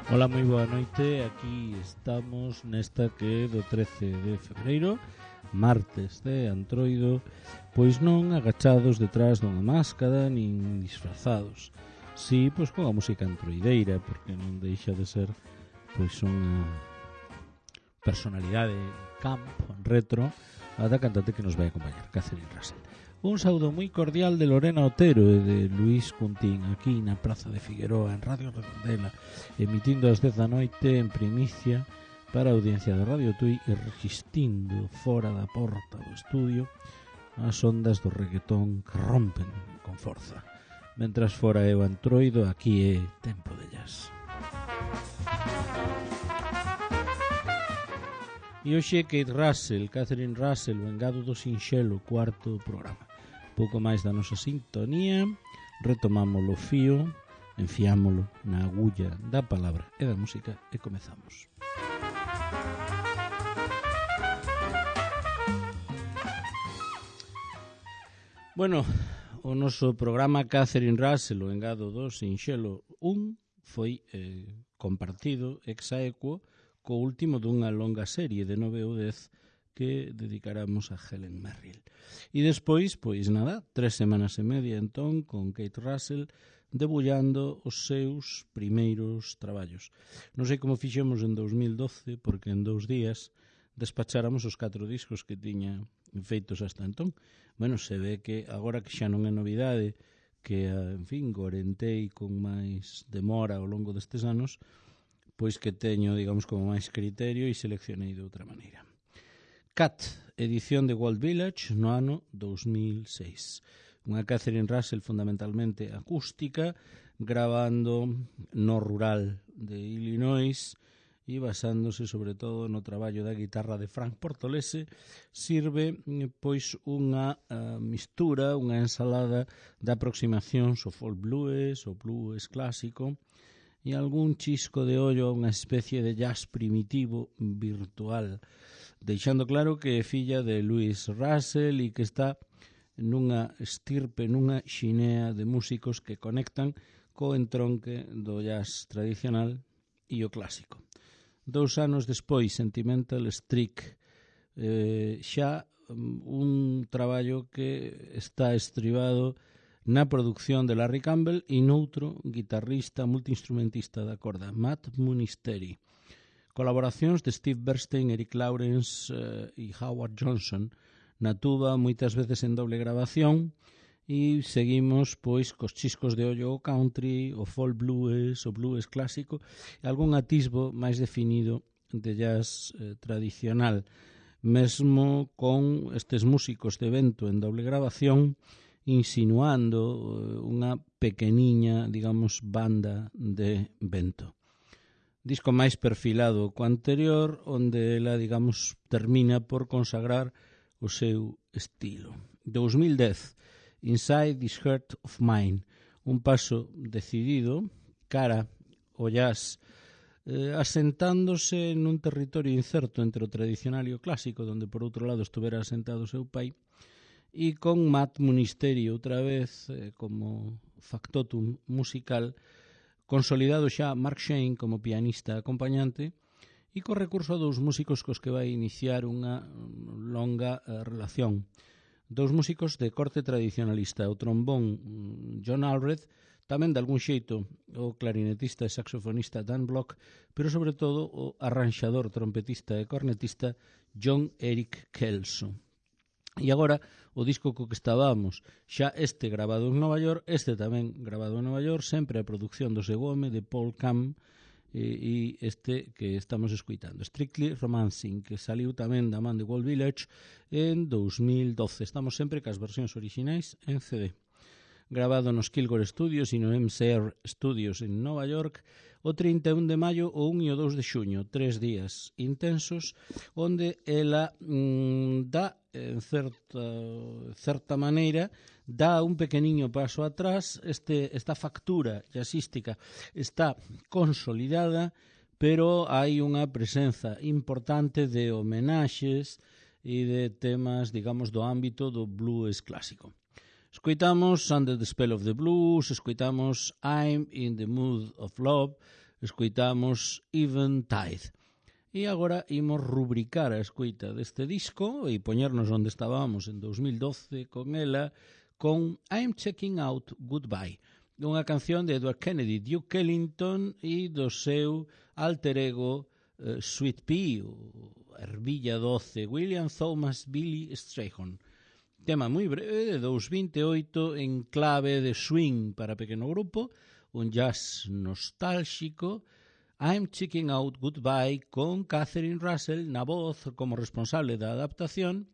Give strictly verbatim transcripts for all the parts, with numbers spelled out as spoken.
Ola, moi boa noite. Aquí estamos nesta que é do trece de febreiro, martes de Antroido, pois non agachados detrás dunha máscara nin disfrazados. Si, pois con a música antroideira, porque non deixa de ser pois unha personalidade camp, retro, a da cantante que nos vai acompañar, Catherine Russell. Un saúdo moi cordial de Lorena Otero e de Luís Cuntín aquí na Praza de Figueroa en Radio Redondela, emitindo ás dez da noite en primicia para a audiencia de Radio Tui e registindo fora da porta do estudio as ondas do reggaetón que rompen con forza. Mentras fora é o Antroido, aquí é Tempo de Jazz. E hoxe Kate Russell, Catherine Russell, o engado do sinxelo, cuarto programa. Pouco máis da nosa sintonía, retomámolo o fío, enfiámolo na agulla da palabra e da música e comezamos. Bueno, o noso programa Catherine Russell, o engado do sinxelo un, foi eh, compartido ex aequo co último dunha longa serie de nove ou dez que dedicaramos a Helen Merrill. E despois, pois nada, tres semanas e media entón con Kate Russell debullando os seus primeiros traballos. Non sei como fixemos en dous mil doce, porque en dous días despacháramos os catro discos que tiña feitos hasta entón. Bueno, se ve que agora que xa non é novidade, que, en fin, gorentei con máis demora ao longo destes anos, pois que teño, digamos, como máis criterio e seleccionei de outra maneira. Cat, edición de Walt Village no ano dous mil seis. Unha Catherine Russell fundamentalmente acústica, gravando no rural de Illinois e basándose sobre todo no traballo da guitarra de Frank Portolese, sirve pois unha uh, mistura, unha ensalada de aproximacións ao folk blues, ao blues clásico, e algún chisco de ollo a unha especie de jazz primitivo virtual, deixando claro que é filla de Louis Russell e que está nunha estirpe, nunha xinea de músicos que conectan co entronque do jazz tradicional e o clásico. Dous anos despois, Sentimental Streak, eh, xa un traballo que está estribado na produción de Larry Campbell e noutro guitarrista multiinstrumentista da corda, Matt Munisteri. Colaboracións de Steve Bernstein, Eric Lawrence eh, e Howard Johnson na tuba, moitas veces en doble grabación, e seguimos pois cos chiscos de ollo o country, o folk blues, o blues clásico e algún atisbo máis definido de jazz eh, tradicional, mesmo con estes músicos de vento en doble grabación insinuando unha pequeniña, digamos, banda de vento. Disco máis perfilado co anterior, onde ela, digamos, termina por consagrar o seu estilo. dous mil dez, Inside This Heart of Mine, un paso decidido cara ao jazz, eh, asentándose nun territorio incerto entre o tradicional e o clásico, donde por outro lado estuvera asentado o seu pai, e con Matt Munisteri outra vez eh, como factotum musical, consolidado xa Mark Shane como pianista acompañante e co recurso a dous músicos cos que vai iniciar unha longa eh, relación. Dous músicos de corte tradicionalista, o trombón John Alred, tamén de algún xeito o clarinetista e saxofonista Dan Block, pero sobre todo o arranxador, trompetista e cornetista John Eric Kelso. E agora, o disco co que estábamos, xa este grabado en Nova York, este tamén grabado en Nova York, sempre a produción do seu home, de Paul Cam, e, e este que estamos escuitando, Strictly Romancing, que saliu tamén da man de Walt Village en dous mil doce. Estamos sempre cas versións orixinais en C D. Grabado nos Kilgore Studios e no M C R Studios en Nova York o trinta e un de maio, o un e o dous de xuño, tres días intensos, onde ela mmm, dá, en certa, certa maneira, dá un pequeniño paso atrás. Este, esta factura jazzística está consolidada, pero hai unha presenza importante de homenaxes e de temas, digamos, do ámbito do blues clásico. Escoitamos Under the Spell of the Blues, escoitamos I'm in the Mood of Love, escoitamos Eventide. E agora imos rubricar a escoita deste disco e poñernos onde estábamos en dos mil doce con ela, con I'm Checking Out Goodbye, unha canción de Edward Kennedy, Duke Ellington e do seu alter ego uh, Sweet Pea, o ervilla doce, William Thomas Billy Strayhorn. Tema moi breve, de dous vinte e oito, en clave de swing para pequeno grupo, un jazz nostálxico. I'm Checking Out Goodbye, con Catherine Russell na voz como responsable da adaptación,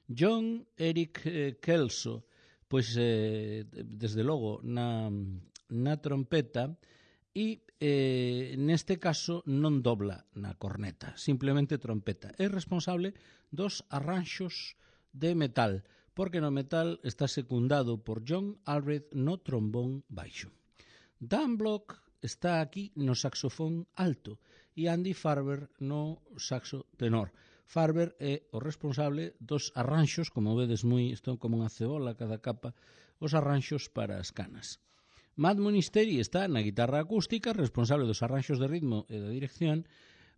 John Eric eh, Kelso, pois eh, desde logo na, na trompeta, e eh, neste caso non dobla na corneta, simplemente trompeta. É responsable dos arranxos de metal, porque no metal está secundado por John Alred no trombón baixo. Dan Block está aquí no saxofón alto e Andy Farber no saxo tenor. Farber é o responsable dos arranxos, como vedes moi, están como unha cebola cada capa, os arranxos para as canas. Matt Monisteri está na guitarra acústica, responsable dos arranxos de ritmo e da dirección.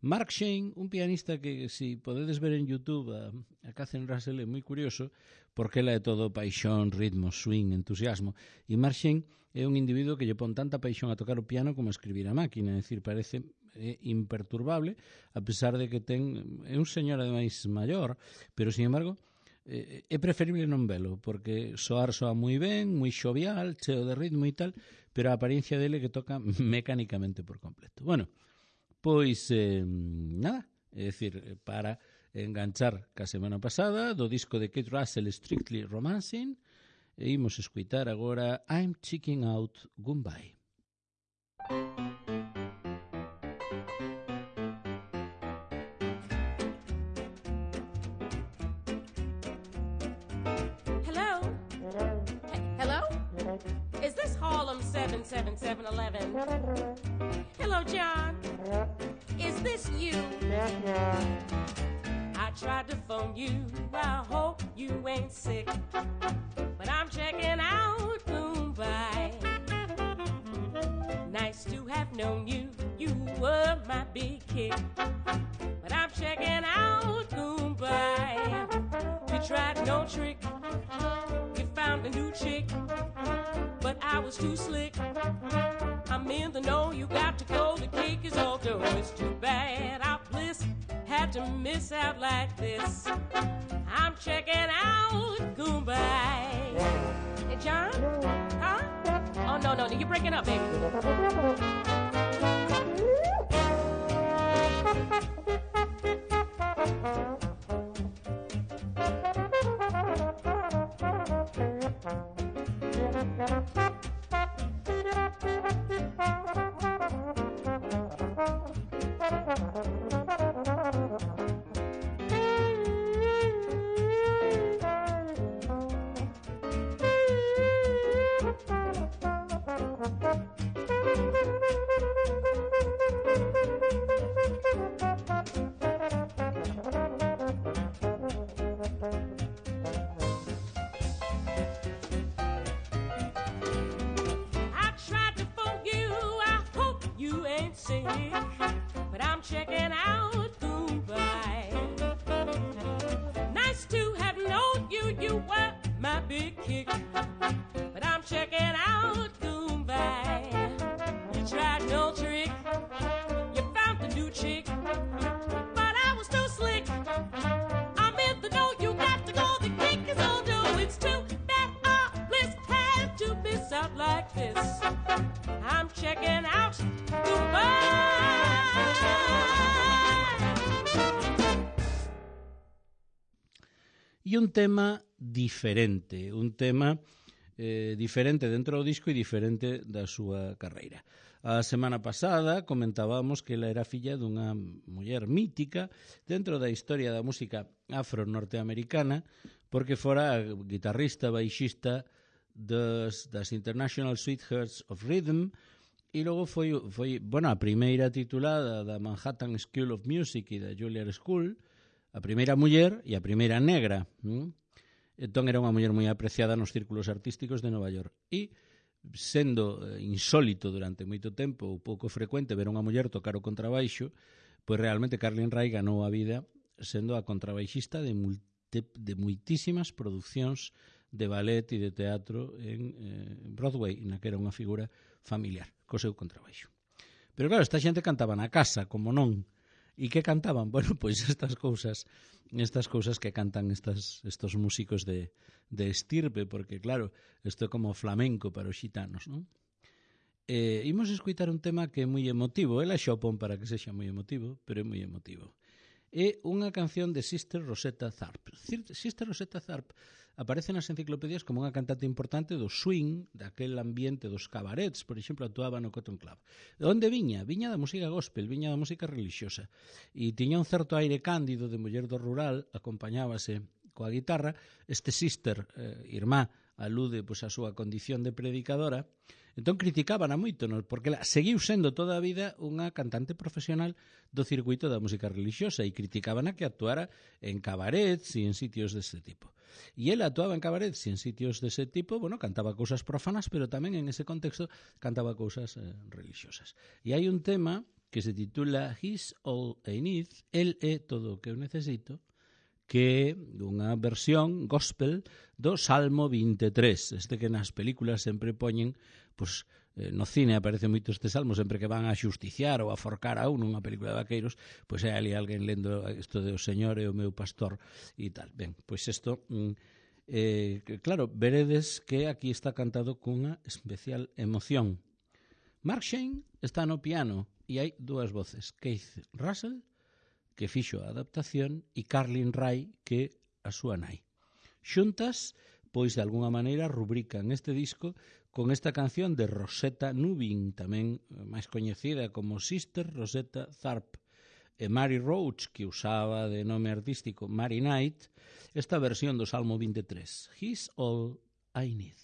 Mark Shane, un pianista que, si podedes ver en YouTube a, a Catherine Russell, é moi curioso, porque ela é todo paixón, ritmo, swing, entusiasmo. E Mark Shane é un individuo que lle pon tanta paixón a tocar o piano como a escribir a máquina, é dicir, parece é imperturbable, a pesar de que ten é un señor ademais maior, pero, sin embargo, é, é preferible non velo, porque soar soa moi ben, moi xovial, cheo de ritmo e tal, pero a apariencia dele que toca mecánicamente por completo. Bueno, pois, eh, nada, é dicir, para enganchar ca semana pasada do disco de Kate Russell, Strictly Romancing, e imos escuitar agora I'm Checking Out Goodbye. seven seven seven eleven. Hello, John. Is this you? I tried to phone you. I hope you ain't sick, but I'm checking out Mumbai. Nice to have known you. You were my big kick, but I'm checking out Mumbai. You tried no trick. You found a new chick, but I was too slick. I'm in the know, you got to go. The cake is all done. It's too bad our bliss had to miss out like this. I'm checking out Mumbai. Hey, John? Huh? Oh, no, no, no, you're breaking up, baby. But I'm checking out Mumbai. Nice to have known you, you were my big kick. But I'm checking out Mumbai. You tried no trick, you found the new chick, but I was too slick. I'm in the know, you got to go, the kick is all due. It's too bad our bliss had to miss out like this. I'm checking out Dubai. E un tema diferente, un tema eh, diferente dentro do disco e diferente da súa carreira. A semana pasada comentábamos que ela era filla dunha muller mítica dentro da historia da música afro-norteamericana, porque fora a guitarrista, baixista das, das International Sweethearts of Rhythm, e logo foi, foi bueno, a primeira titulada da Manhattan School of Music e da Juilliard School, a primeira muller e a primeira negra. ¿Mm? Entón era unha muller moi apreciada nos círculos artísticos de Nova York. E sendo insólito durante moito tempo ou pouco frecuente ver unha muller tocar o contrabaixo, pois realmente Carlin Ray ganou a vida sendo a contrabaixista de, multi, de muitísimas producións de ballet e de teatro en eh, Broadway, na que era unha figura familiar, co seu contrabaixo. Pero claro, esta xente cantaba na casa, como non. E que cantaban? Bueno, pois estas cousas, estas cousas que cantan estas, estos músicos de, de estirpe, porque claro, isto é como flamenco para os xitanos, non? Eh, imos escutar un tema que é moi emotivo, ela xa o pon para que sexa moi emotivo, pero é moi emotivo. É unha canción de Sister Rosetta Tharpe. Sister Rosetta Tharpe aparece nas enciclopedias como unha cantante importante do swing, daquel ambiente dos cabarets, por exemplo, actuaba no Cotton Club. De onde viña? Viña da música gospel, viña da música religiosa. E tiña un certo aire cándido de muller do rural, acompañábase coa guitarra. Este Sister, eh, irmá, alude pois, a súa condición de predicadora. Entón criticaban a moito, non? Porque ela seguiu sendo toda a vida unha cantante profesional do circuito da música religiosa e criticaban a que actuara en cabarets e en sitios deste tipo. E ela actuaba en cabarets e en sitios dese tipo, bueno, cantaba cousas profanas, pero tamén en ese contexto cantaba cousas eh, religiosas. E hai un tema que se titula He's All I Need, El é todo o que eu necesito, que é unha versión gospel do Salmo vinte e tres, este que nas películas sempre poñen, pois, eh, no cine aparece moito este salmo, sempre que van a xusticiar ou a forcar a un nunha película de vaqueiros, pois hai ali alguén lendo isto de o Señor é o meu pastor e tal. Ben, pois isto, mm, eh, claro, veredes que aquí está cantado cunha especial emoción. Mark Shane está no piano e hai dúas voces, Keith Russell, que fixo a adaptación, e Carlin Ray, que a súa nai. Xuntas, pois de alguna maneira rubrican este disco con esta canción de Rosetta Nubin, tamén máis coñecida como Sister Rosetta Tharpe, e Mary Roach, que usaba de nome artístico Mary Knight, esta versión do Salmo vinte e tres, He's All I Need.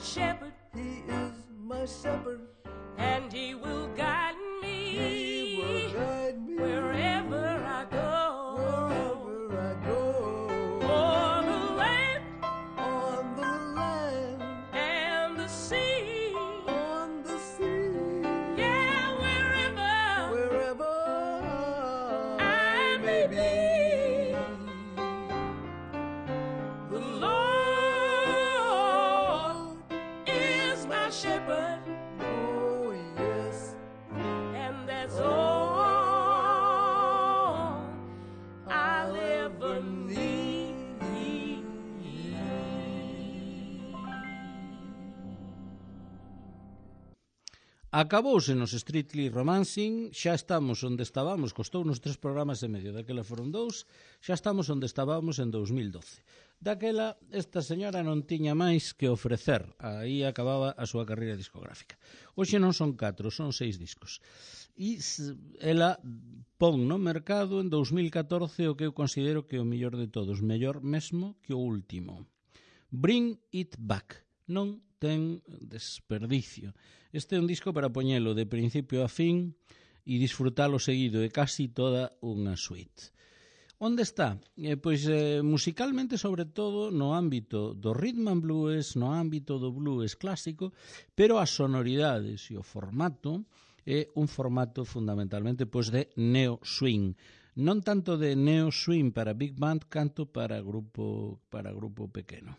Shepherd, he is my shepherd, and baby. The Lord is my shepherd. Oh, yes. And that's all I'll ever need. Acabouse nos Strictly Romancing, xa estamos onde estábamos, costou nos tres programas e medio, daquela foron dous, xa estamos onde estábamos en dous mil doce. Daquela, esta señora non tiña máis que ofrecer, aí acababa a súa carreira discográfica. Hoxe non son catro, son seis discos. E ela pon no mercado en dous mil catorce o que eu considero que é o mellor de todos, mellor mesmo que o último. Bring It Back. Non ten desperdicio. Este é un disco para poñelo de principio a fin e disfrutalo seguido, é casi toda unha suite. Onde está? Eh, pois eh, musicalmente, sobre todo, no ámbito do rhythm and blues, no ámbito do blues clásico, pero as sonoridades e o formato é un formato fundamentalmente pois de neo swing. Non tanto de neo swing para big band, canto para grupo, para grupo pequeno.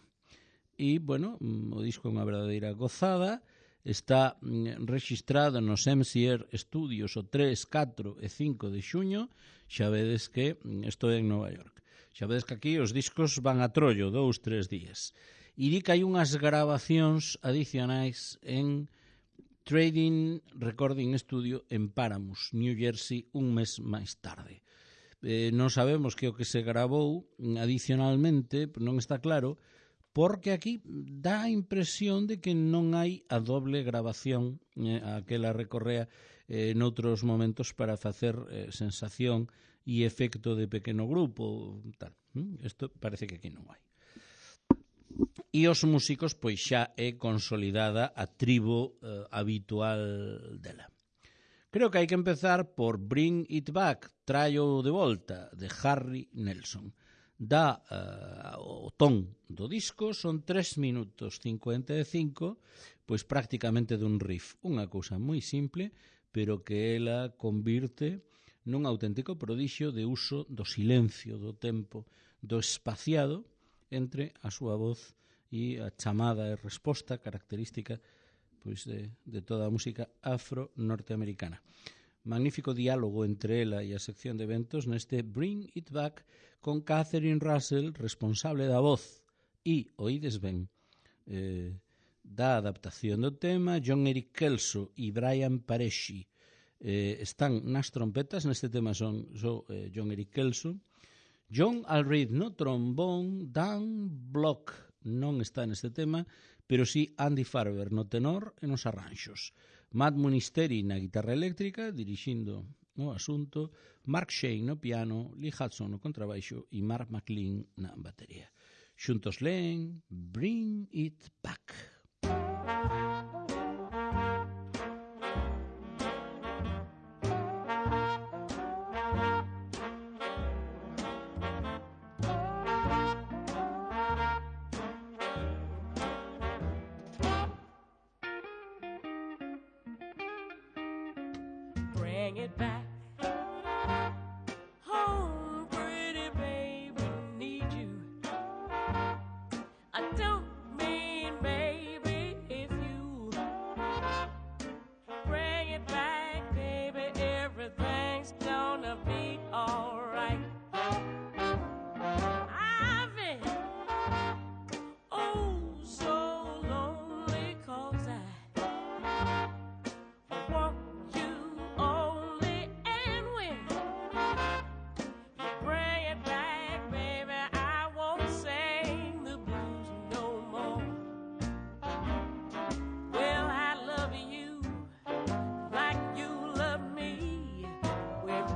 E, bueno, o disco é unha verdadeira gozada, está registrado nos M C R Studios o tres, catro e cinco de xuño, xa vedes que estou en Nova York. Xa vedes que aquí os discos van a trollo, dous, tres días. E di que hai unhas grabacións adicionais en Trading Recording Studio en Paramus, New Jersey, un mes máis tarde. Eh, non sabemos que o que se grabou adicionalmente, non está claro, porque aquí dá a impresión de que non hai a doble grabación eh, a que la recorrea eh, noutros momentos para facer eh, sensación e efecto de pequeno grupo. Tal. Isto parece que aquí non hai. E os músicos, pois xa é consolidada a tribo eh, habitual dela. Creo que hai que empezar por Bring It Back, Traio de Volta, de Harry Nelson. Dá uh, o ton do disco, son tres minutos cincuenta e cinco, pois prácticamente dun riff, unha cousa moi simple, pero que ela convirte nun auténtico prodixio de uso do silencio, do tempo, do espaciado entre a súa voz e a chamada e resposta característica pois de, de toda a música afro-norteamericana. Magnífico diálogo entre ela e a sección de eventos neste Bring It Back con Catherine Russell, responsable da voz, e, oídes ben, eh, da adaptación do tema, John Eric Kelso e Brian Paresci eh, están nas trompetas, neste tema son so, eh, John Eric Kelso, John Allred no trombón, Dan Block non está neste tema, pero sí Andy Farber no tenor e nos arranxos. Matt Munisteri na guitarra eléctrica, dirixindo o asunto, Mark Shane no piano, Lee Hudson no contrabaixo e Mark McLean na batería. Xuntos leen Bring It Back. Bring it back home, pretty baby, need you. I don't mean baby if you bring it back, baby, everything's gonna be alright. I've been oh so lonely 'cause I want you only, and when you bring it back, baby, I won't sing the blues no more. Well, I love you like you love me. We're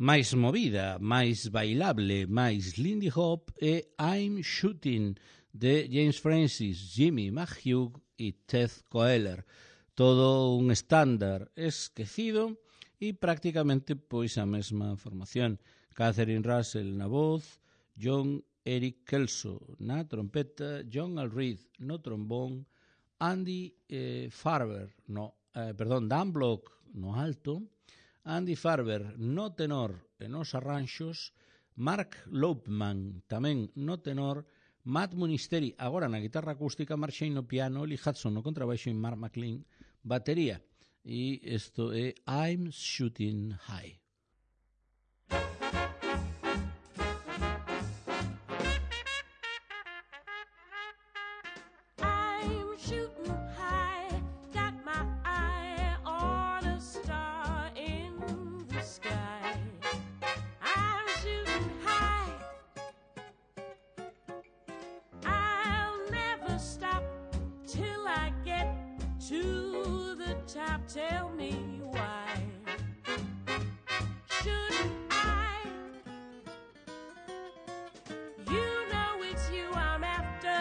máis movida, máis bailable, máis Lindy Hop e I'm Shooting de James Francis, Jimmy McHugh e Ted Koehler. Todo un estándar esquecido e prácticamente pois a mesma formación. Catherine Russell na voz, John Eric Kelso na trompeta, John Alreed no trombón, Andy eh, Farber, no, eh, perdón, Dan Block no alto, Andy Farber no tenor e nos arranxos, Mark Lopeman tamén no tenor, Matt Munisteri agora na guitarra acústica, Mark Shane no piano, Lee Hudson no contrabaixo e Mark McLean batería. E isto é I'm Shooting High. Tell me why shouldn't I? You know it's you I'm after.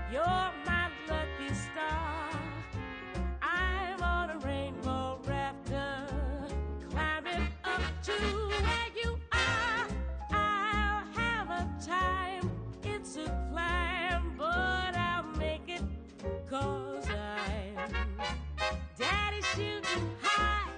You're my lucky star. I'm on a rainbow rafter, climbing up to where you are. I'll have a time. It's a climb, but I'll make it 'cause I'm Daddy shooting high.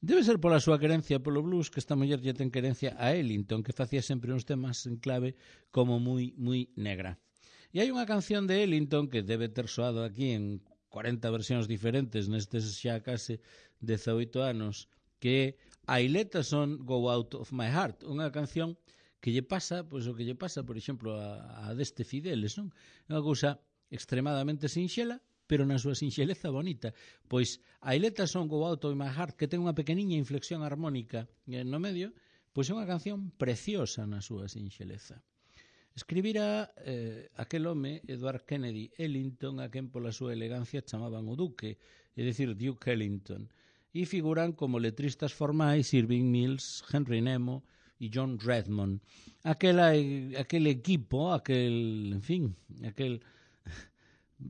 Debe ser pola súa querencia polo blues que esta muller lle ten querencia a Ellington, que facía sempre uns temas en clave como moi, moi negra. E hai unha canción de Ellington que debe ter soado aquí en cuarenta versións diferentes nestes xa case dezaoito anos, que é I Let a Song Go Out of My Heart, unha canción que lle pasa, pois o que lle pasa, por exemplo, a, a deste Fideles, non? É unha cousa extremadamente sinxela, pero na súa sinxeleza bonita. Pois I Let a Song Go Out of My Heart, que ten unha pequeniña inflexión armónica no medio, pois é unha canción preciosa na súa sinxeleza. Escribira eh, aquel home, Edward Kennedy Ellington, a quen pola súa elegancia chamaban o Duque, é dicir, Duke Ellington, e figuran como letristas formais Irving Mills, Henry Nemo e John Redmond. Aquela, aquel equipo, aquel, en fin, aquel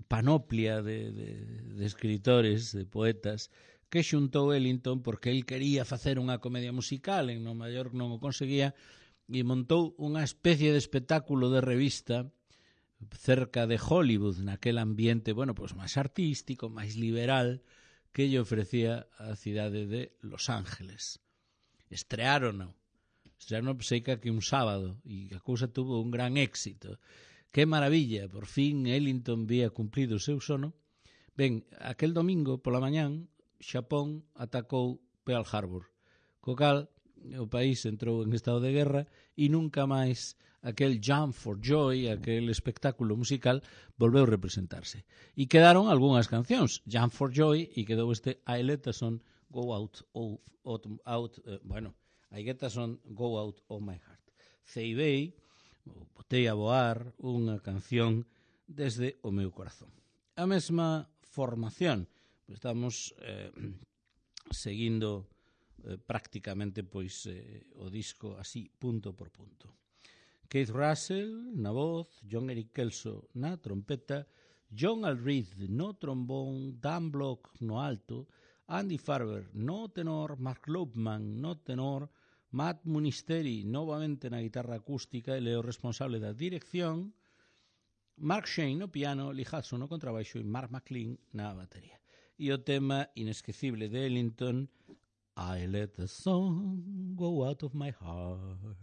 panoplia de, de, de escritores, de poetas, que xuntou Ellington porque el quería facer unha comedia musical, en Nova York non o conseguía, e montou unha especie de espectáculo de revista cerca de Hollywood, naquel ambiente, bueno, pues máis artístico, máis liberal, que lle ofrecía a cidade de Los Ángeles. Estrearon, estrearon seica que un sábado, e a cousa tuvo un gran éxito. Que maravilla, por fin Ellington vía cumplido o seu sono. Ben, aquel domingo pola mañán, Xapón atacou Pearl Harbor, co cal o país entrou en estado de guerra e nunca máis aquel Jump for Joy, aquel espectáculo musical, volveu representarse. E quedaron algunhas cancións, Jump for Joy, e quedou este I Let a Song Go Out of, out, out uh, bueno, I get a song Go Out of My Heart. Ceibei, botei a voar unha canción desde o meu corazón. A mesma formación, estamos eh, seguindo eh, prácticamente pois eh, o disco así, punto por punto. Keith Russell na voz, John Eric Kelso na trompeta, John Alreed no trombón, Dan Block no alto, Andy Farber no tenor, Mark Lopman no tenor, Matt Munisteri novamente na guitarra acústica, ele é o responsable da dirección, Mark Shane no piano, Lee Hudson no contrabaixo e Mark McLean na batería. E o tema inesquecible de Ellington, I let the song go out of my heart.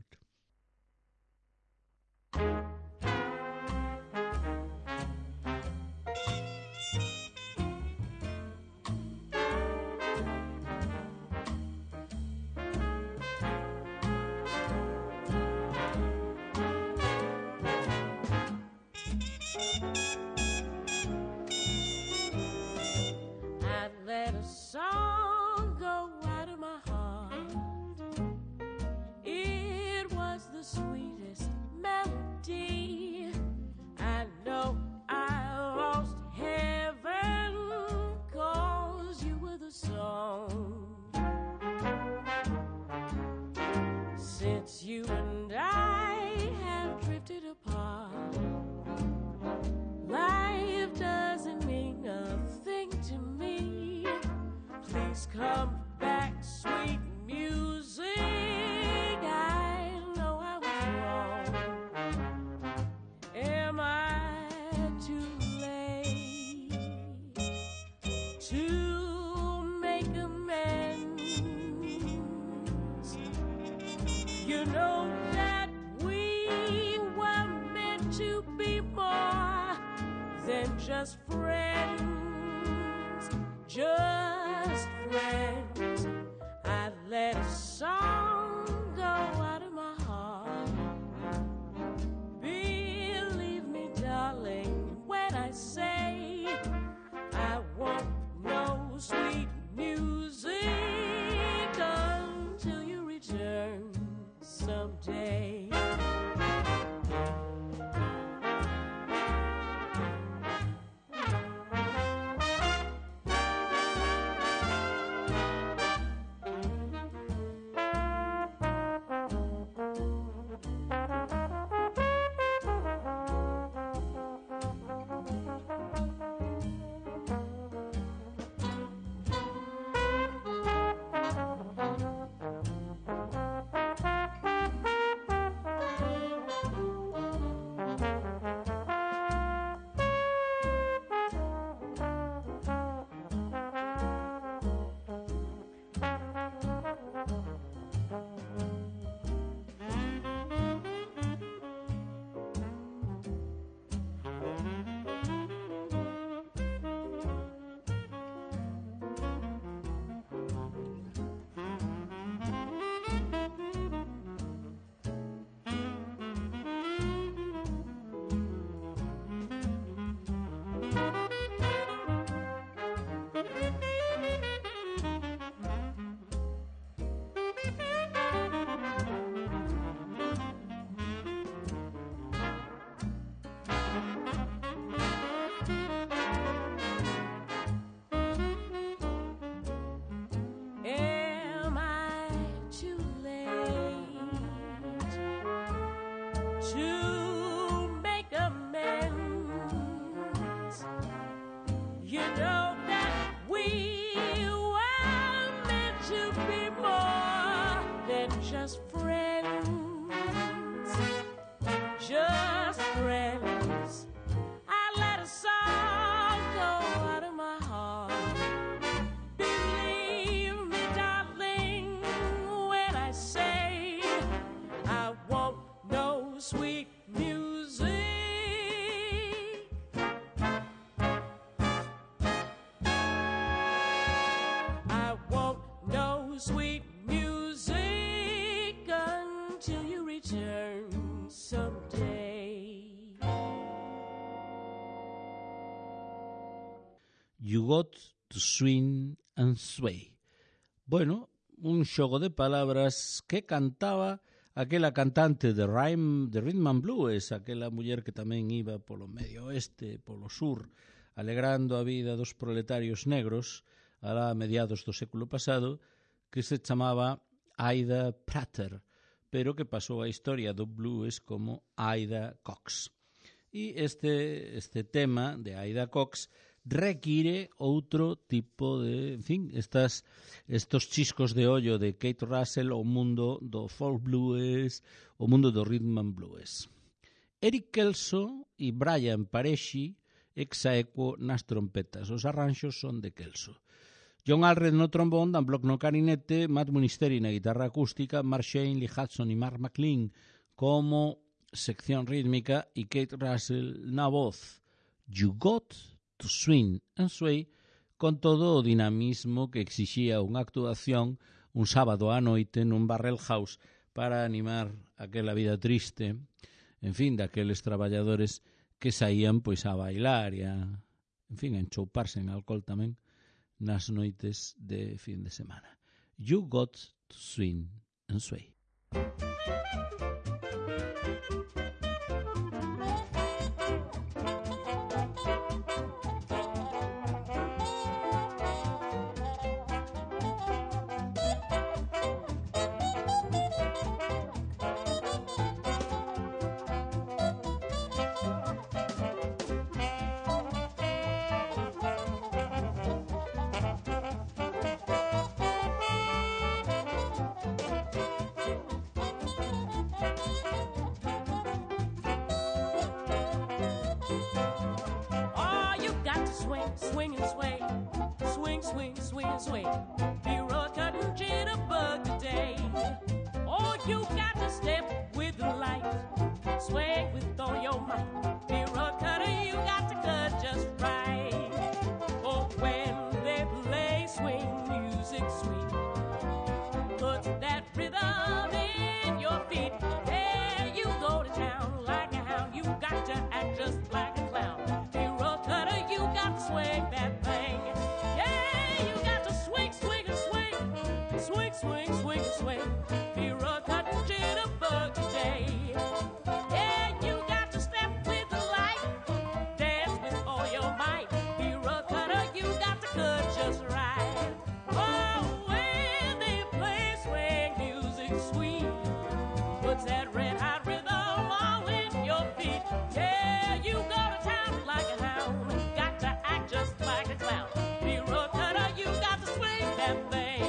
Come back, sweet music. I know I was wrong. Am I too late to make amends? You know that we were meant to be more than just friends. Just friends. I let a song go out of my heart. Believe me, darling, when I say I want no sweet music until you return someday. You Got to Swing and Sway. bueno, un xogo de palabras que cantaba aquela cantante de, Rhyme, de Rhythm and Blues, aquela muller que tamén iba polo medio oeste, polo sur, alegrando a vida dos proletarios negros a mediados do século pasado, que se chamaba Ida Prater, pero que pasou a historia do blues como Ida Cox. E este, este tema de Ida Cox require outro tipo de, en fin, estas, estos chiscos de ollo de Kate Russell ao mundo do folk blues, o mundo do rhythm and blues. Eric Kelso e Brian Paresci ex aequo nas trompetas. Os arranxos son de Kelso. John Allred no trombón, Dan Block no clarinete, Matt Munisteri na guitarra acústica, Mark Shane, Lee Hudson e Mark McLean como sección rítmica e Kate Russell na voz. You got to swing and sway, con todo o dinamismo que exixía unha actuación un sábado á noite nun barrel house para animar aquela vida triste, en fin, daqueles traballadores que saían pois a bailar e a, en fin, a enchouparse en alcohol tamén nas noites de fin de semana. You got to swing and sway. Swing and sway, swing, swing, swing and sway. Be rock cutting jitterbug today. Oh, you got to step with the light, sway with all your might. Be rock cutter, you got to cut just right. Oh, when they play swing music sweet, put that rhythm in your feet. There you go to town like a hound. You got to act just like a clown. Swing that thing, yeah, you got to swing, swing and swing, swing, swing, swing and swing. Be a cutting jitterbug today. Yeah, you got to step with the light, dance with all your might. Be a cutter, you got to cut just right. Oh, when they play swing music sweet, puts that red hot rhythm all in your feet. Yeah, you go to town like a hound. Just like a clown. Be a cutter, you got to swing that thing.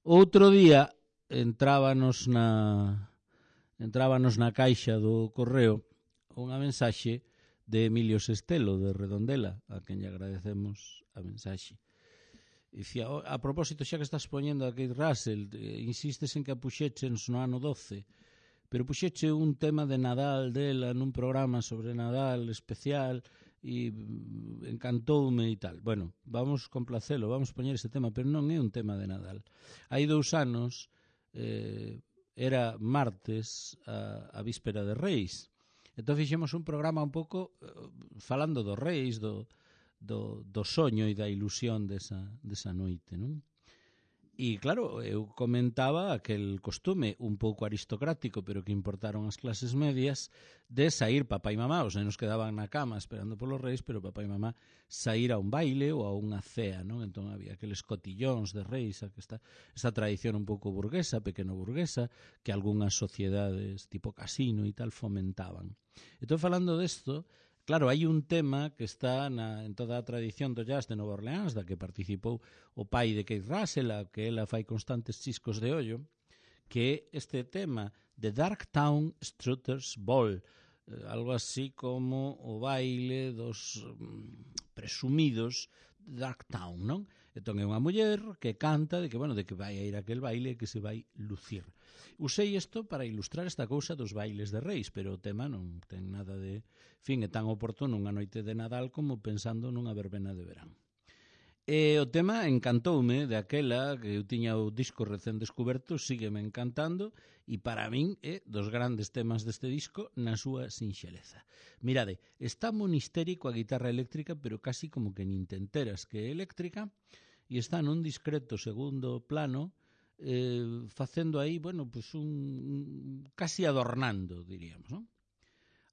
Outro día entrábanos na entrábanos na caixa do correo unha mensaxe de Emilio Sestelo de Redondela, a quen lle agradecemos a mensaxe. Dicía, a propósito, xa que estás poñendo a Kate Russell, insistes en que a puxeches no ano doce, pero puxeche un tema de Nadal dela nun programa sobre Nadal especial e encantoume e tal. Bueno, vamos complacelo, vamos poñer ese tema, pero non é un tema de Nadal. Hai dous anos, eh, era martes a, a víspera de Reis. Entón fixemos un programa un pouco uh, falando dos Reis, do, do, do soño e da ilusión desa, desa noite, non? E claro, eu comentaba aquel costume un pouco aristocrático, pero que importaron as clases medias, de sair papá e mamá, os nenos quedaban na cama esperando polos Reis, pero papá e mamá sair a un baile ou a unha cea, non? Entón había aqueles cotillóns de Reis, esta, esta tradición un pouco burguesa, pequeno burguesa, que algunhas sociedades tipo casino e tal fomentaban. Entón, falando desto, claro, hai un tema que está na, en toda a tradición do jazz de Nova Orleans, da que participou o pai de Keith Russell, a que ela fai constantes chiscos de ollo, que é este tema de Darktown Strutters Ball, eh, algo así como o baile dos mm, presumidos Darktown, non? Entón é unha muller que canta de que, bueno, de que vai a ir a aquel baile e que se vai lucir. Usei isto para ilustrar esta cousa dos bailes de Reis, pero o tema non ten nada de... Fin, é tan oportuno unha noite de Nadal como pensando nunha verbena de verán. E o tema encantoume de aquela que eu tiña o disco recén descoberto, sígueme encantando, e para min é dos grandes temas deste disco na súa sinxeleza. Mirade, está monistérico a guitarra eléctrica, pero casi como que nin te enteras que é eléctrica, e está nun discreto segundo plano, eh, facendo aí, bueno, pues un, un casi adornando, diríamos, non?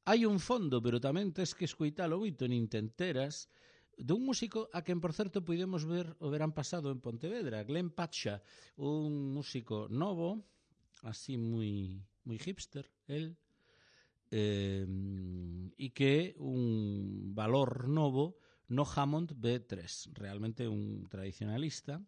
Hai un fondo, pero tamén tes que escoitalo moito, nin te enteras, dun músico a quen, por certo, podemos ver o verán pasado en Pontevedra, Glenn Pacha, un músico novo, así moi, moi hipster, el, eh, e que é un valor novo no Hammond B tres, realmente un tradicionalista,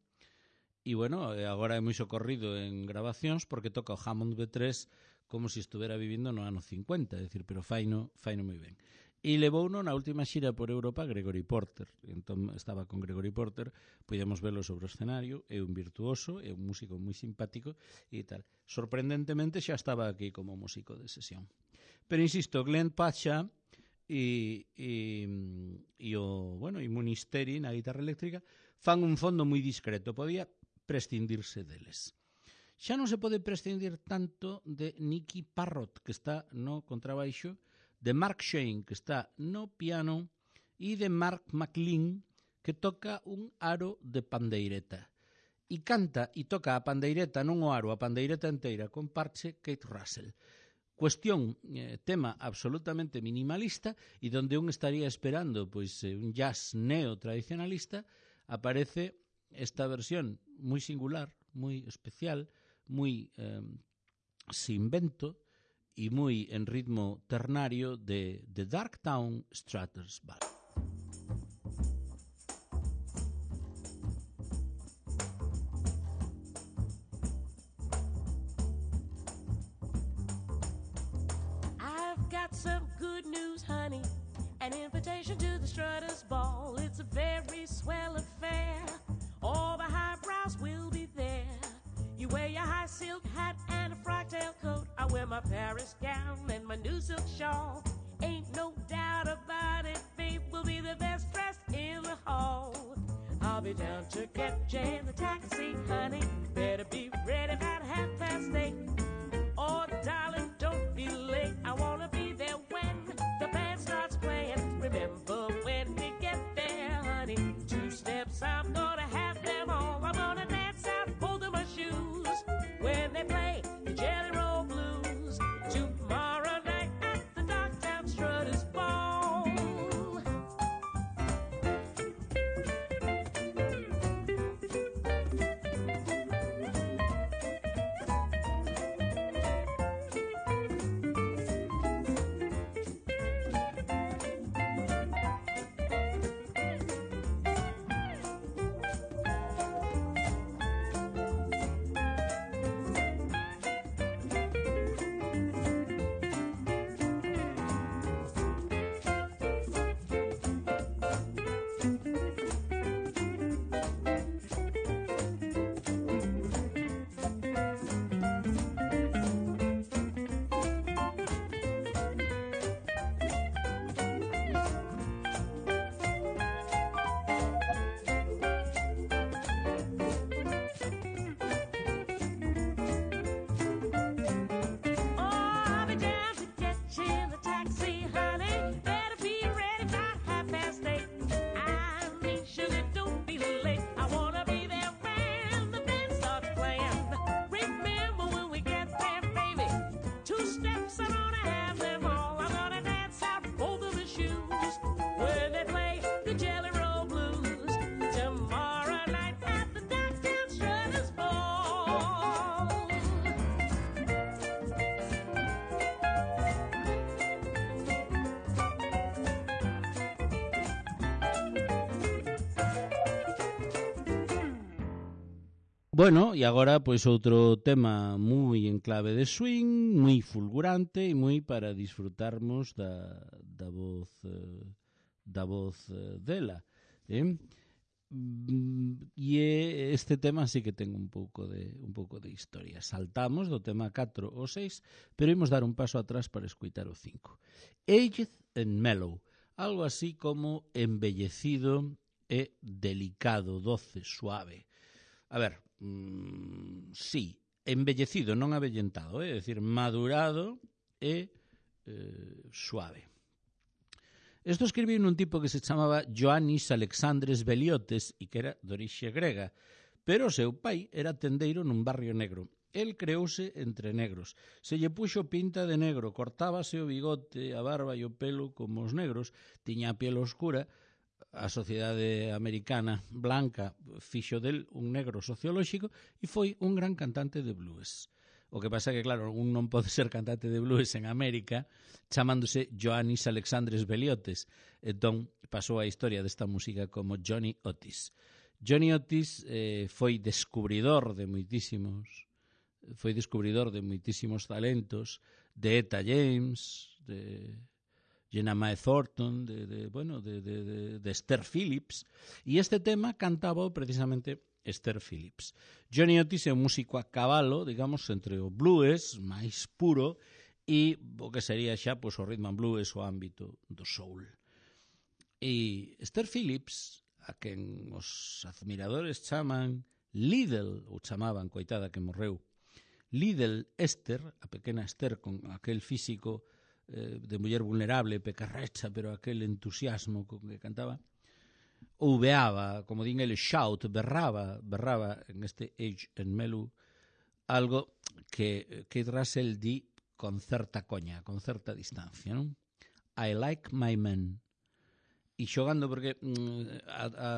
e, bueno, agora é moi socorrido en grabacións porque toca o Hammond B tres como se estuvera vivindo no ano cincuenta, é dicir, pero faino, faino moi ben. E levouno na última xira por Europa Gregory Porter. Entón estaba con Gregory Porter, podemos velo sobre o escenario, é un virtuoso, é un músico moi simpático e tal. Sorprendentemente xa estaba aquí como músico de sesión. Pero insisto, Glenn Pacha e, e, e o, bueno, e Monisteri na guitarra eléctrica fan un fondo moi discreto, podía prescindirse deles. Xa non se pode prescindir tanto de Nicky Parrott, que está no contrabaixo, de Mark Shane, que está no piano, e de Mark McLean, que toca un aro de pandeireta. E canta e toca a pandeireta, non o aro, a pandeireta inteira, con parche Keith Russell. Cuestión, eh, tema absolutamente minimalista, e donde un estaría esperando pois eh, un jazz neo-tradicionalista, aparece esta versión moi singular, moi especial, moi eh, sin vento, e moi en ritmo ternario de The Darktown Strutters Ball. I've got some good news, honey. An invitation to the Strutters Ball. It's a very swell affair. All the highbrows will be there. You wear your high silk hat and a frock tail coat. I wear my Paris gown and my new silk shawl. Ain't no doubt about it, babe, we'll be the best dressed in the hall. I'll be down to catch you in the taxi, honey. Better be ready about half past eight. Oh, darling, don't be late. I wanna be there when the band starts playing. Remember when we get there, honey. Two steps, I'm gonna have them all. I'm gonna dance out, holding my shoes when they play the Jelly Roll Blues tomorrow night at the Darktown Strutters Ball. Bueno, e agora pois outro tema moi en clave de swing, moi fulgurante e moi para disfrutarmos da, da voz eh, da voz eh, dela. Eh? E este tema sí que ten un pouco de un pouco de historia. Saltamos do tema catro ao seis, pero imos dar un paso atrás para escutar o cinco. Aged and Mellow, algo así como embellecido e delicado, doce, suave. A ver, mmm, sí, embellecido, non avellentado, é eh? dicir, madurado e eh, suave. Isto escribiu nun tipo que se chamaba Ioannis Alexandres Veliotes e que era de orixe grega, pero o seu pai era tendeiro nun barrio negro. El creouse entre negros. Se lle puxo pinta de negro, cortábase o bigote, a barba e o pelo como os negros, tiña a piel oscura. A sociedade americana blanca fixo del un negro sociolóxico e foi un gran cantante de blues. O que pasa é que, claro, un non pode ser cantante de blues en América chamándose Ioannis Alexandres Veliotes. Entón, pasou a historia desta música como Johnny Otis. Johnny Otis eh, foi descubridor de moitísimos foi descubridor de moitísimos talentos, de Etta James, de Jenna Mae Thornton, de, de, bueno, de, de, de, de Esther Phillips, e este tema cantaba precisamente Esther Phillips. Johnny Otis é un músico a cabalo, digamos, entre o blues máis puro e o que sería xa pois, o rhythm and blues, o ámbito do soul. E Esther Phillips, a quen os admiradores chaman Little, ou chamaban, coitada que morreu, Little Esther, a pequena Esther con aquel físico de muller vulnerable, pecarrecha, pero aquel entusiasmo con que cantaba, ouveaba, como din ele, shout, berraba, berraba en este Aged and Mellow, algo que Keith Russell di con certa coña, con certa distancia, non? I like my men. E xogando porque mm, a, a,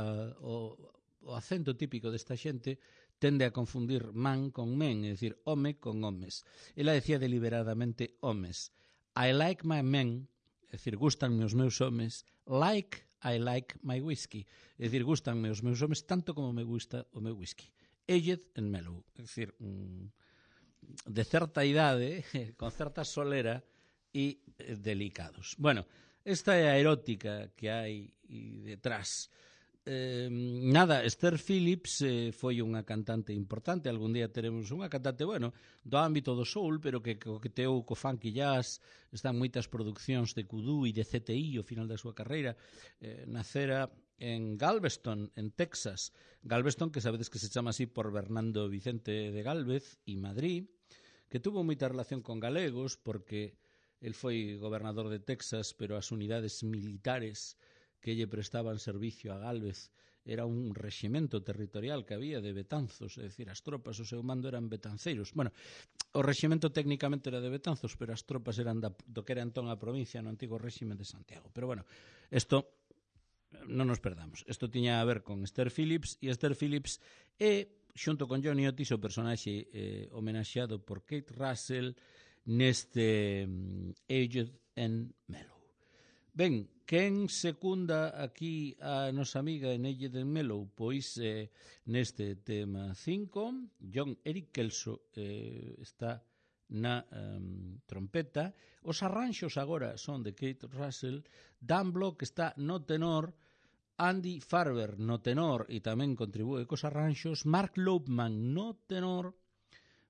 o, o acento típico desta xente tende a confundir man con men, é dicir, home con homes. Ela decía deliberadamente homes. I like my men, é dicir, gustanme os meus homes, like I like my whisky, é dicir, gustanme os meus homes tanto como me gusta o meu whisky. Aged and Mellow, é dicir, de certa idade, con certa solera e delicados. Bueno, esta é a erótica que hai detrás. Eh, nada, Esther Phillips eh, foi unha cantante importante. Algún día teremos unha cantante, bueno, do ámbito do soul, pero que coqueteou co funk e jazz. Están moitas produccións de kudú e de C T I ao final da súa carreira. Eh, nacera en Galveston, en Texas. Galveston, que sabedes que se chama así por Bernardo Vicente de Gálvez e Madrid, que tuvo moita relación con galegos porque el foi gobernador de Texas, pero as unidades militares que lle prestaban servicio a Gálvez era un reximento territorial que había de Betanzos, é dicir, as tropas, o seu mando eran betanceiros. Bueno, o reximento técnicamente era de Betanzos, pero as tropas eran da, do que era entón a provincia no antigo réxime de Santiago. Pero bueno, isto non nos perdamos. Isto tiña a ver con Esther Phillips, e Esther Phillips é, xunto con Johnny Otis, o personaxe eh, homenaxeado por Keith Russell neste um, Aged and Mellow. Ben, quen secunda aquí a nosa amiga en Aged and Mellow? Pois eh, neste tema cinco, John Eric Kelso eh, está na um, trompeta. Os arranxos agora son de Keith Russell, Dan Block está no tenor, Andy Farber no tenor e tamén contribúe cos arranxos, Mark Lopeman no tenor,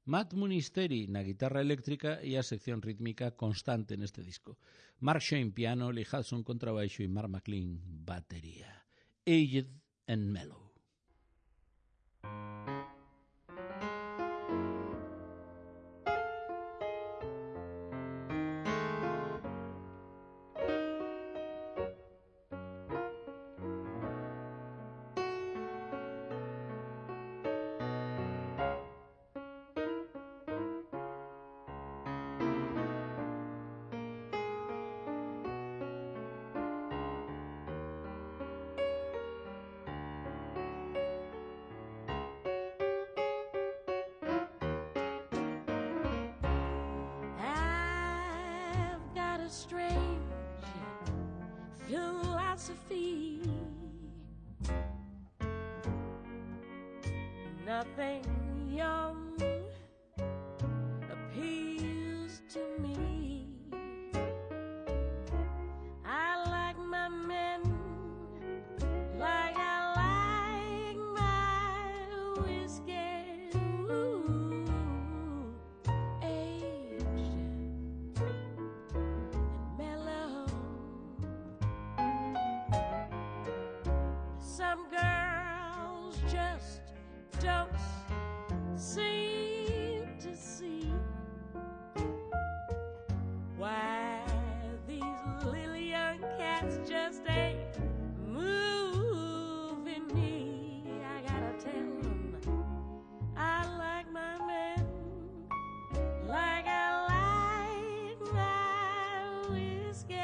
Matt Munisteri na guitarra eléctrica e a sección rítmica constante neste disco. Mark Shane piano, Lee Hudson contrabaixo e Mark McLean batería. Aged and Mellow. nothing young appeals to me. I like my men like I like my whiskey, ooh, aged and mellow. Some girls just don't seem to see why these little young cats just ain't moving me. I gotta tell them I like my men like I like my whiskey,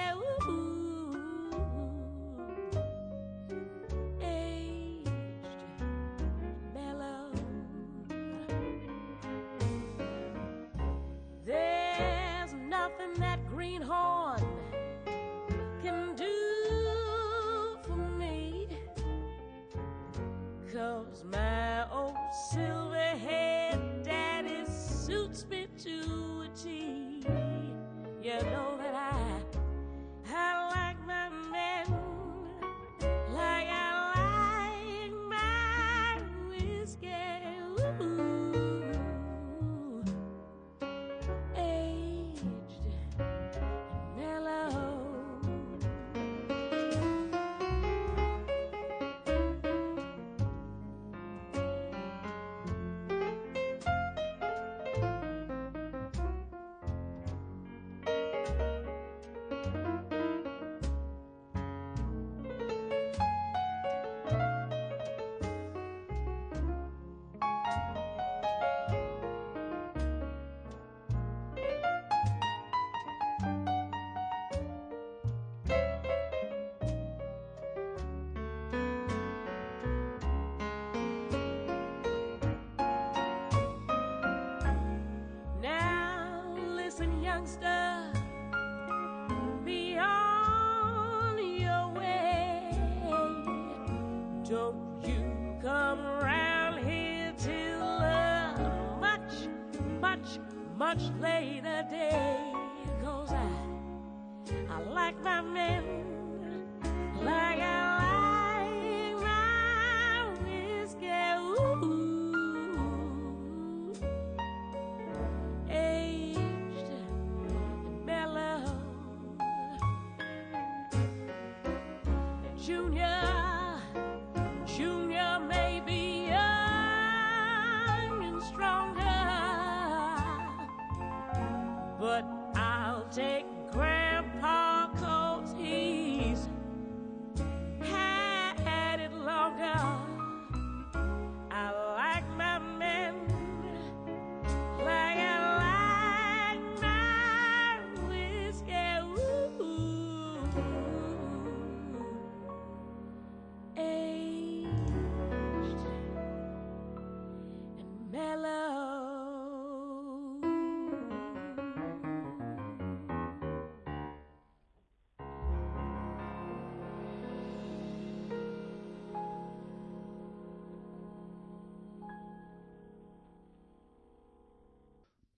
ooh, aged, mellow. There's nothing that greenhorn can do for me, 'cause my old silver-haired daddy suits me to a T. You know that I, I like my men like I like my whiskey, ooh, aged and mellow. Now listen, youngster, be on your way. Don't you come around here till a much, much, much later day, 'cause I, I like my men like I like my whiskey, ooh, aged and mellow. Junior, Junior may be young and stronger, but I'll take Grandpa 'cause he's had it longer. I like my men like I like my whiskey, ooh, aged and mellow.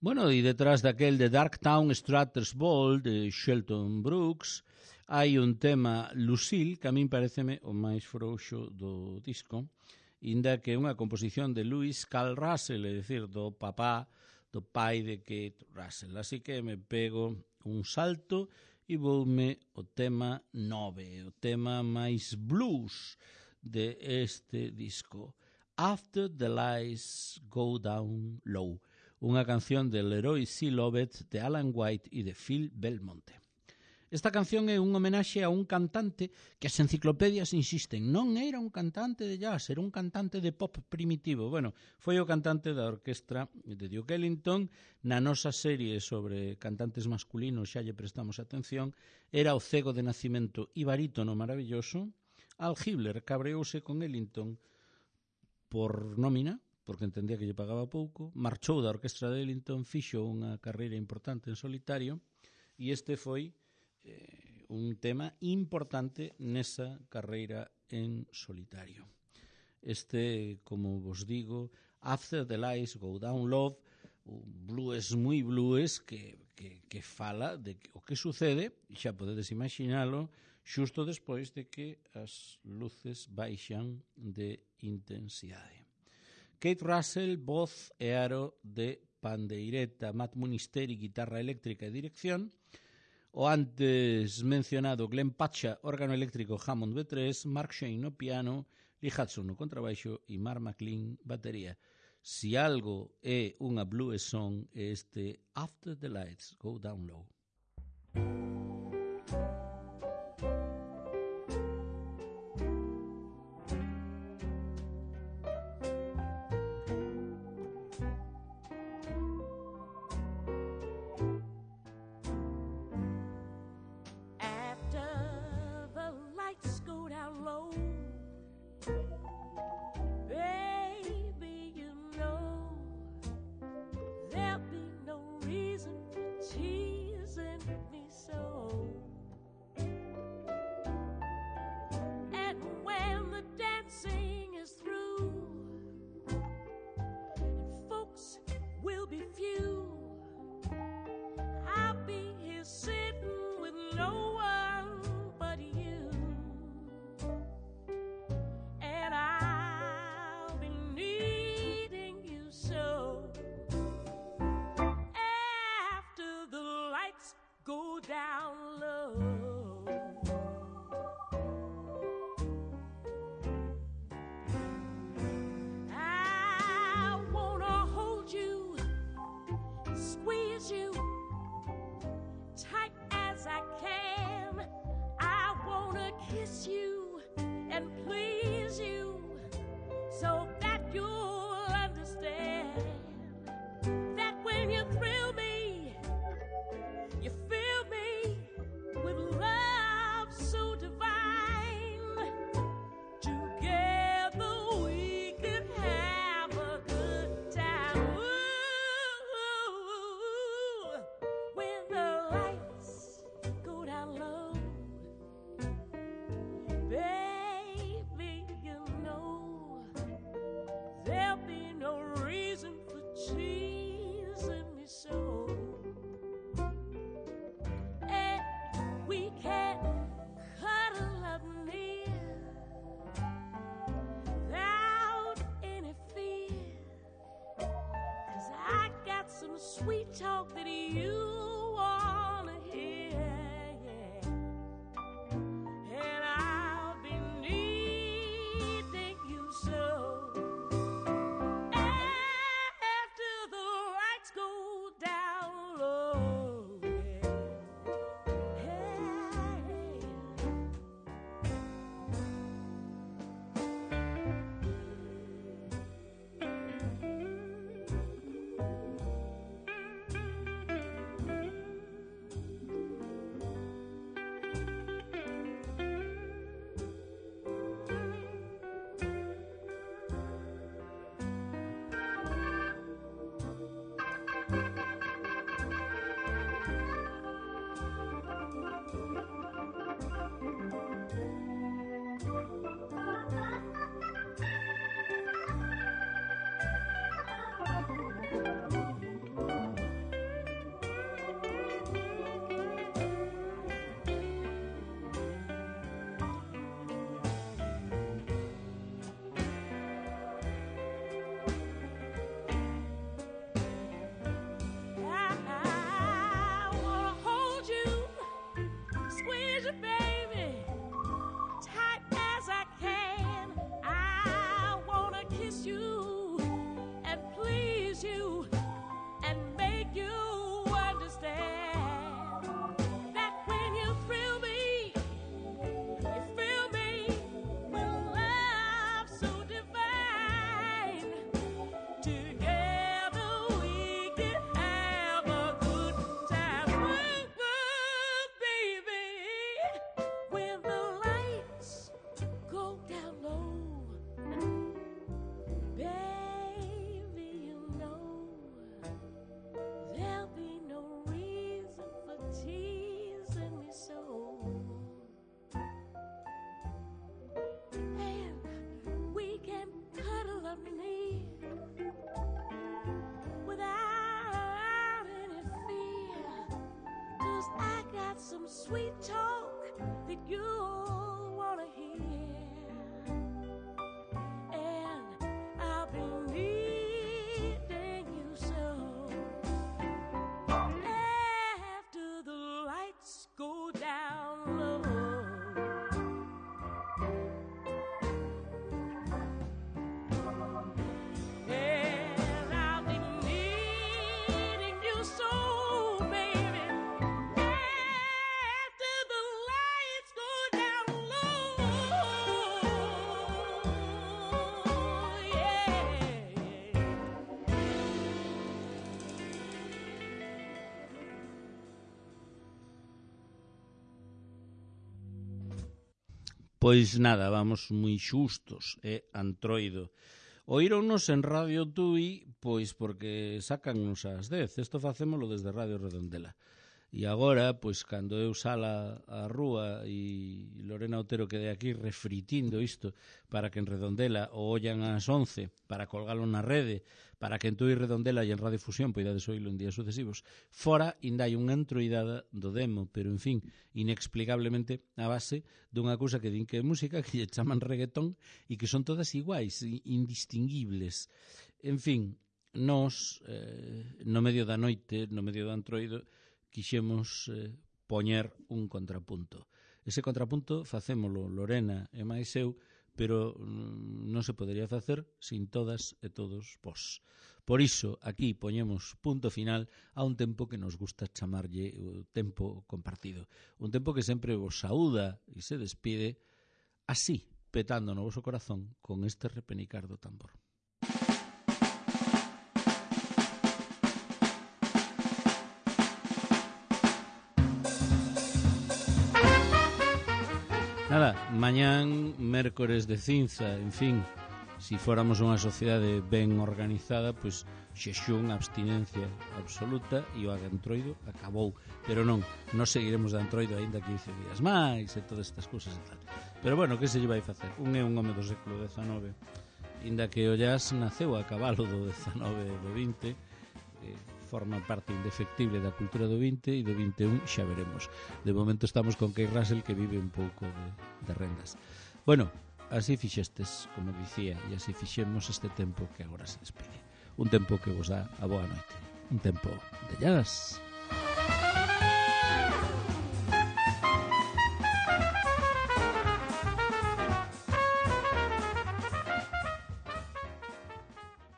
Bueno, e detrás daquel de Darktown Strutter's Ball de Shelton Brooks hai un tema Lucille que a min pareceme o máis frouxo do disco, inda que é unha composición de Lewis Carl Russell, é dicir, do papá, do pai de Kate Russell. Así que me pego un salto e voume o tema nove, o tema máis blues de este disco, After the Lights Go Down Low, unha canción de Leroy C. Lovett, de Alan White e de Phil Belmonte. Esta canción é un homenaxe a un cantante que as enciclopedias insisten, non era un cantante de jazz, era un cantante de pop primitivo. Bueno, foi o cantante da orquestra de Duke Ellington. Na nosa serie sobre cantantes masculinos xa lle prestamos atención. Era o cego de nacimento e barítono maravilloso. Al Hibbler cabreouse con Ellington por nómina, porque entendía que lle pagaba pouco, marchou da orquestra de Ellington, fixo unha carreira importante en solitario, e este foi eh, un tema importante nesa carreira en solitario. Este, como vos digo, After the Lights Go Down Love, un blues moi blues que, que, que fala de que, o que sucede, e xa podedes imaginalo, xusto despois de que as luces baixan de intensidade. Kate Russell, voz e aro de pandeireta, Matt Munisteri, guitarra eléctrica e dirección, o antes mencionado Glenn Pacha, órgano eléctrico Hammond B tres, Mark Shane no piano, Lee Hudson no contrabaixo e Mark McLean batería. Si algo é unha blues song, é este After the Lights Go Down Low. sweet talk that you want to hear. And I'll be needing you so. After the lights go down low, Pois nada, vamos moi xustos, é Antroido. Oíronnos en Radio Tui, pois porque sacannos ás dez. Isto facémolo desde Radio Redondela. E agora, pois, cando eu sala á rúa e Lorena Otero quede aquí refritindo isto para que en Redondela o ollan ás once, para colgalo na rede, para que en Tui Redondela e en Radio Fusión poidades oílo en días sucesivos, fora ainda hai unha entroidada do demo, pero, en fin, inexplicablemente a base dunha cousa que din que é música, que lle chaman reggaetón, e que son todas iguais, indistinguibles. En fin, nós, eh, no medio da noite, no medio do Antroido, quixemos eh, poñer un contrapunto. Ese contrapunto facémolo Lorena e máis eu, pero mm, non se podería facer sin todas e todos vós. Por iso, aquí poñemos punto final a un tempo que nos gusta chamarlle o tempo compartido. Un tempo que sempre vos saúda e se despide así, petando no voso corazón con este repenicar do tambor. Nada, mañán, mércores de cinza, en fin, si fóramos unha sociedade ben organizada, pois xexún, abstinencia absoluta e o Antroido acabou. Pero non, nos seguiremos de Antroido aínda quince días máis e todas estas cousas e tal. Pero bueno, que se lle vai facer? Un é un home do século dezanove, inda que o jazz naceu a cabalo do dezanove e do vinte, eh, forma parte indefectible da cultura do vinte e do vinte e un xa veremos. De momento estamos con Keith Russell, que vive un pouco de, de rendas. Bueno, así fixestes, como dicía, e así fixemos este tempo que agora se despide. Un tempo que vos dá a boa noite. Un tempo de jazz.